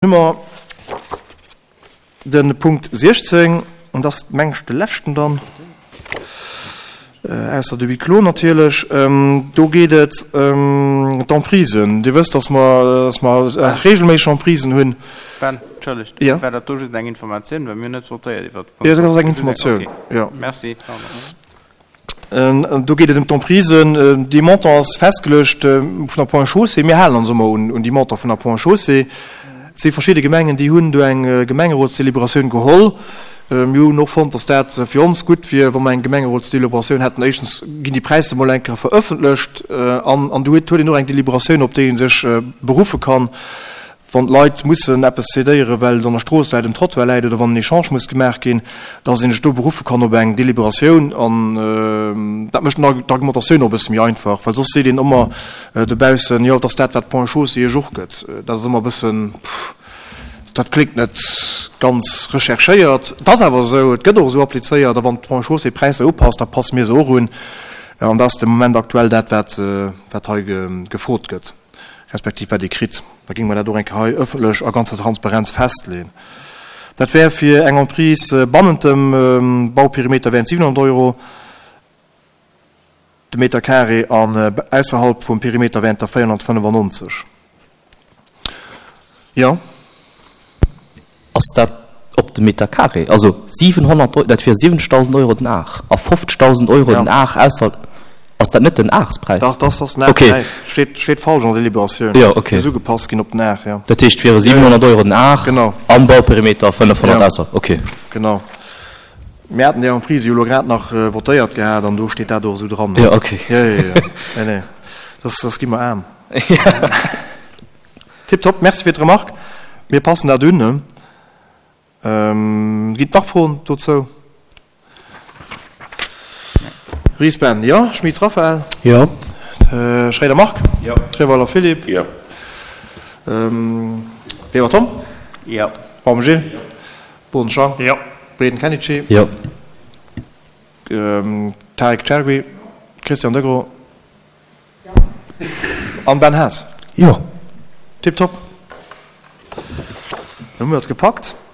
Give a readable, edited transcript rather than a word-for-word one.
Hu mer de Punkt 16, an dat ass, meng ech, de leschten dann, ausser de Huis clos natierlech. Do geet et ëm d'Emprisen. Dir wësst, dass mer, dass mer regelméisseg Emprisen hunn. Ben, entschëllegt, war dat do just eng Informatioun, well mir hunn net votéiert iwwert de Punkt. Jo, dat ass eng Informatioun, jo. Merci, pardon. Do geet et ëm d'Emprisen. Dee Montant ass festgeluecht vun der Ponts et Chaussées. Mir halen ons ëmmer un déi Montant vun der Ponts et Chaussées. Et si verschidde Gemengen, déi hunn do eng Gemengerotsdeliberatioun geholl. Mir hunn och fonnt, datt dat fir ons gutt wier, wa mer eng Gemengerotsdeliberatioun hätten. Éischtens ginn déi Präisser emol eng Kéier verëffentlecht an du huet een och eng Deliberatioun, op déi ee sech beruffe kann. Wann d'Leit mussen eppes cédéieren, well et an der Strooss läit, um Trottoir läit oder wann en Echange muss gemaach ginn, dass een sech do beruffe kann op eng Deliberatioun. An dat mécht d'Argumentatioun och e bësse méi einfach, well soss seet een ëmmer dobaussen, jo, et ass dat, wat d'Ponts et Chaussées iech och gëtt. Dat ass ëmmer e bëssen, dat kléngt net ganz recherchéiert. Et ass awer esou, et gëtt och esou applizéiert. A wann d'Ponts et Chaussées d'Präisser upasst, da passe mir se och un. An dat ass de Moment aktuell dat, wat hei gefrot gëtt. respektiv wat ee kritt, da géinge mer dat och eng Kéier hei ëffentlech a ganzer Transparenz festleeën. Dat wär fir eng Emprise bannent dem Bauperimeter wären et 700 Euro de Meter carré an ausserhalb vum Perimeter wären et der 495. Jo. Ass dat op de Meter carré? Also 700 Euro, dat wier 70.000 Euro den Ar a 50.000 Euro den Ar ausser. Ass dat net den Arspräis? Dach, dat ass den Arspräis. Steet, steet falsch an der Deliberatioun. Jo, okay. Muss ugepasst ginn op den Ar, jo. Dat heescht, et wiere 700 Euro den Ar am Bauperimeter, 500 ausser. Okay. Genau. Mir haten déi Emprise jo elo grad nach votéiert gehat an do steet dat och esou dran. Jo, okay. Jo, jo, jo. Nee, nee. Soss gi mer aarm. Tiptop, merci fir d'Remarque. Mir passen dat un. Ginn et nach Froen dozou? Ries Ben, jo. Schmitz Raphaël? Jo. Schréider Marc? Jo. Treweiler Philippe? Jo. Weber Tom? Jo. Baum Gilles? Jo. Boden Jean? Jo. Breden Kenichi? Jo. Tarik Chergui? Christian Degros? An Ben Haas? Jo. Tiptop. Dann hu mir et gepackt.